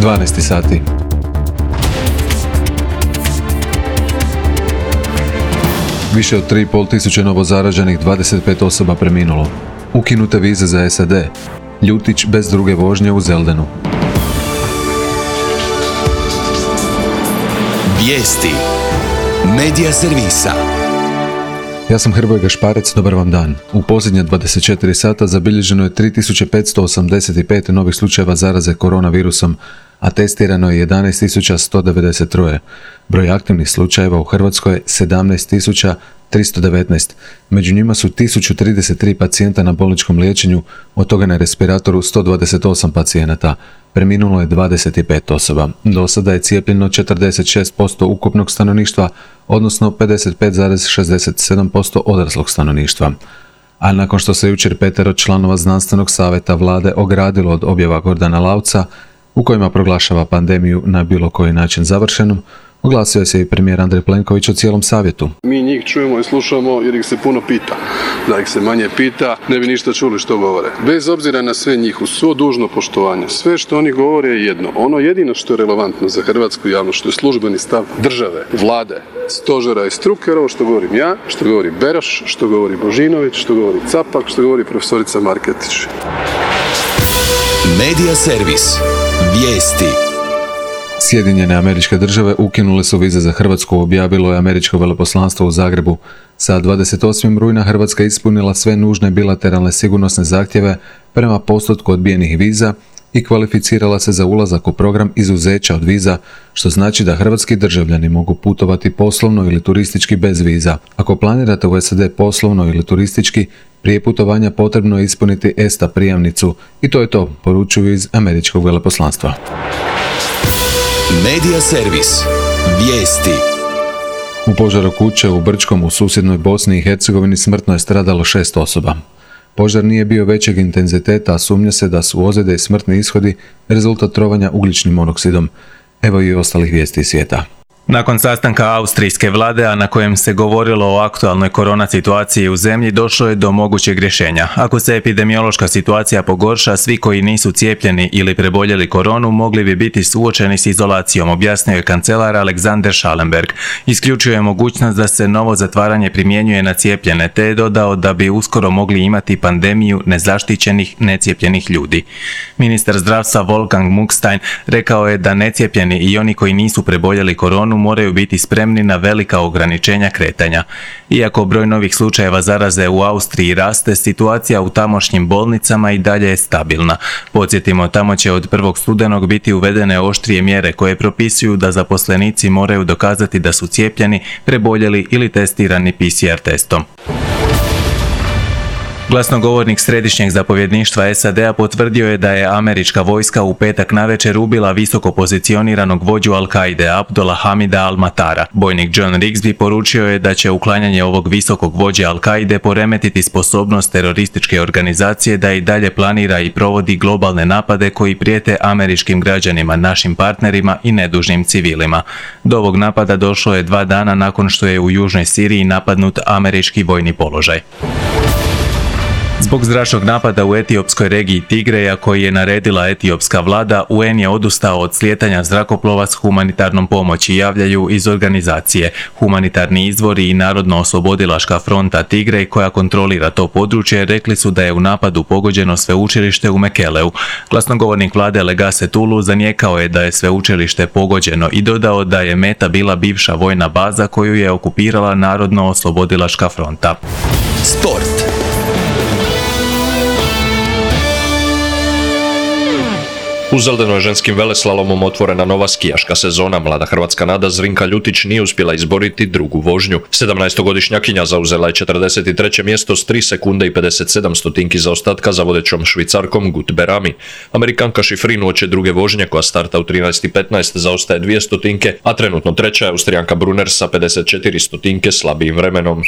12 sati. Više od 3,5 tisuće novozaraženih, 25 osoba preminulo. Ukinute vize za SAD. Ljutić bez druge vožnje u Zeldenu. Vijesti Medija servisa. Ja sam Hrvoje Gašparec, dobar vam dan. U posljednje 24 sata zabilježeno je 3585 novih slučajeva zaraze koronavirusom, a testirano je 11.193. Broj aktivnih slučajeva u Hrvatskoj je 17.319. Među njima su 1033 pacijenta na bolničkom liječenju, od toga na respiratoru 128 pacijenata. Preminulo je 25 osoba. Do sada je cijepljeno 46% ukupnog stanovništva, odnosno 55,67% odraslog stanovništva. A nakon što se jučer 5 članova znanstvenog savjeta vlade ogradilo od objava Gordana Lauca, u kojima proglašava pandemiju na bilo koji način završenom, oglasio se i premijer Andrej Plenković o cijelom savjetu. Mi njih čujemo i slušamo jer ih se puno pita. Da ih se manje pita, ne bi ništa čuli što govore. Bez obzira na sve njih, uz svo dužno poštovanje, sve što oni govore je jedno. Ono jedino što je relevantno za hrvatsku javnost, što je službeni stav države, vlade, stožera i struke, ovo što govorim ja, što govori Beroš, što govori Božinović, što govori Capak, što govori profesorica Marketić. Medija servis. Vijesti. Sjedinjene Američke Države ukinule su vize za Hrvatsku, objavilo je američko veleposlanstvo u Zagrebu. Sa 28. rujna Hrvatska ispunila sve nužne bilateralne sigurnosne zahtjeve prema postotku odbijenih viza i kvalificirala se za ulazak u program izuzeća od viza, što znači da hrvatski državljani mogu putovati poslovno ili turistički bez viza. Ako planirate u SAD poslovno ili turistički, prije putovanja potrebno je ispuniti ESTA prijavnicu i to je to, poručuju iz američkog veleposlanstva. Medija servis. Vijesti. U požaru kuće u Brčkom u susjednoj Bosni i Hercegovini smrtno je stradalo 6 osoba. Požar nije bio većeg intenziteta, a sumnja se da su ozljede i smrtni ishodi rezultat trovanja ugljičnim monoksidom. Evo i ostalih vijesti iz svijeta. Nakon sastanka austrijske vlade, a na kojem se govorilo o aktualnoj korona situaciji u zemlji, došlo je do mogućeg rješenja. Ako se epidemiološka situacija pogorša, svi koji nisu cijepljeni ili preboljeli koronu mogli bi biti suočeni s izolacijom, objasnio je kancelar Alexander Schallenberg. Isključio je mogućnost da se novo zatvaranje primjenjuje na cijepljene, te je dodao da bi uskoro mogli imati pandemiju nezaštićenih, necijepljenih ljudi. Ministar zdravstva Wolfgang Muckstein rekao je da necijepljeni i oni koji nisu preboljeli koronu moraju biti spremni na velika ograničenja kretanja. Iako broj novih slučajeva zaraze u Austriji raste, situacija u tamošnjim bolnicama i dalje je stabilna. Podsjetimo, tamo će od 1. studenog biti uvedene oštrije mjere koje propisuju da zaposlenici moraju dokazati da su cijepljeni, preboljeli ili testirani PCR testom. Glasnogovornik Središnjeg zapovjedništva SAD-a potvrdio je da je američka vojska u petak navečer ubila visoko pozicioniranog vođu Al-Kaide Abdullah Hamida Al-Matara. Bojnik John Rigsby poručio je da će uklanjanje ovog visokog vođe Al-Kaide poremetiti sposobnost terorističke organizacije da i dalje planira i provodi globalne napade koji prijete američkim građanima, našim partnerima i nedužnim civilima. Do ovog napada došlo je 2 dana nakon što je u južnoj Siriji napadnut američki vojni položaj. Zbog zračnog napada u etiopskoj regiji Tigreja koji je naredila etiopska vlada, UN je odustao od slijetanja zrakoplova s humanitarnom pomoći, javljaju iz organizacije. Humanitarni izvori i Narodno-oslobodilačka fronta Tigrej, koja kontrolira to područje, rekli su da je u napadu pogođeno sveučilište u Mekeleu. Glasnogovornik vlade Legase Tulu zanijekao je da je sveučilište pogođeno i dodao da je meta bila bivša vojna baza koju je okupirala Narodno-oslobodilačka fronta. Sport. U Zeldenu je ženskim veleslalomom otvorena nova skijaška sezona. Mlada hrvatska nada Zrinka Ljutić nije uspjela izboriti drugu vožnju. 17-godišnjakinja zauzela je 43. mjesto s 3 sekunde i 57 stotinki zaostatka za vodećom Švicarkom Gut Berami. Amerikanka Šifrin uoči druge vožnje koja starta u 13.15 zaostaje 2 stotinke, a trenutno treća je Austrijanka Brunner sa 54 stotinke slabijim vremenom.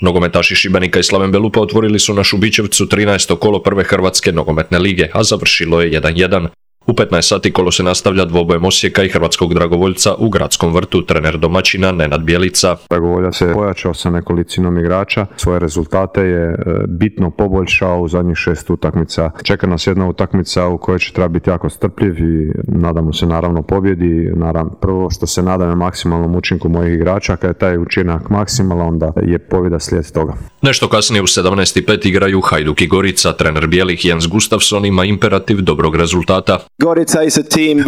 Nogometaši Šibenika i Slaven Belupa otvorili su na Šubićevcu 13. kolo prve Hrvatske nogometne lige, a završilo je 1:1. U 15 sati kolo se nastavlja dvobojem Osijeka i hrvatskog dragovoljca u Gradskom vrtu. Trener domaćina Nenad Bjelica. Dragovoljac se pojačao sa nekolicinom igrača, svoje rezultate je bitno poboljšao u zadnjih 6 utakmica. Čeka nas jedna utakmica u kojoj će treba biti jako strpljiv i nadamo se naravno pobjedi. Prvo što se nadam je maksimalnom učinku mojih igrača, kad je taj učinak maksimalan, onda je pobjeda slijed toga. Nešto kasnije u 17:05 igraju Hajduk i Gorica. Trener bijelih Jens Gustafsson ima imperativ dobrog rezultata.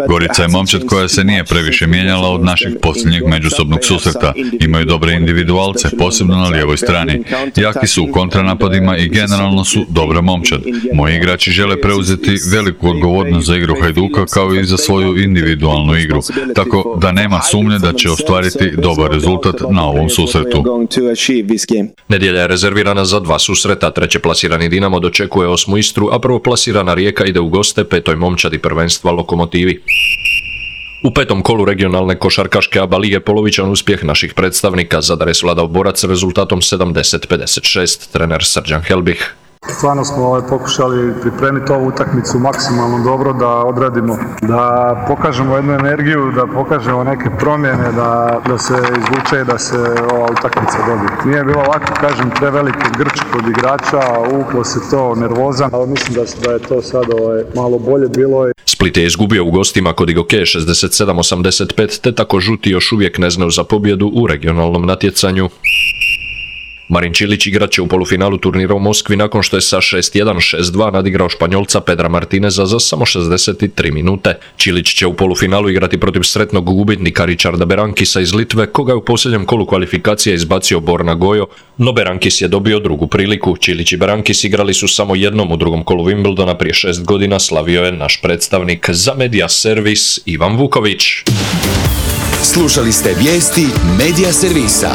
Gorica je momčad koja se nije previše mijenjala od naših posljednjeg međusobnog susreta. Imaju dobre individualce, posebno na lijevoj strani. Jaki su u kontranapadima i generalno su dobra momčad. Moji igrači žele preuzeti veliku odgovornost za igru Hajduka kao i za svoju individualnu igru, tako da nema sumnje da će ostvariti dobar rezultat na ovom susretu. Nedjelja je rezervirana za 2 susreta. Trećeplasirani Dinamo dočekuje 8. Istru, a prvoplasirana Rijeka ide u goste 5. momčadi prvenstva Lokomotivi. U 5. kolu regionalne košarkaške ABA lige polovičan uspjeh naših predstavnika. Zadar je svladao Borac rezultatom 70-56. Trener Srđan Helbih. Stvarno smo pokušali pripremiti ovu utakmicu maksimalno dobro, da odradimo, da pokažemo jednu energiju, da pokažemo neke promjene, da se izvuče i da se ova utakmica dobije. Nije bilo lako, kažem, preveliki grč kod igrača, uvuklo se to nervozan, ali mislim da je to sad malo bolje bilo. Split je izgubio u gostima kod Igoke 67-85, te tako žuti još uvijek ne znaju za pobjedu u regionalnom natjecanju. Marin Čilić igrat će u polufinalu turnira u Moskvi nakon što je sa 6-1, 6-2 nadigrao Španjolca Pedra Martineza za samo 63 minute. Čilić će u polufinalu igrati protiv sretnog gubitnika Richarda Berankisa iz Litve, koga je u posljednjem kolu kvalifikacije izbacio Borna Gojo, no Berankis je dobio drugu priliku. Čilić i Berankis igrali su samo jednom u drugom kolu Wimbledona prije 6 godina, slavio je naš predstavnik. Za Media Servis Ivan Vuković. Slušali ste vijesti Media Servisa.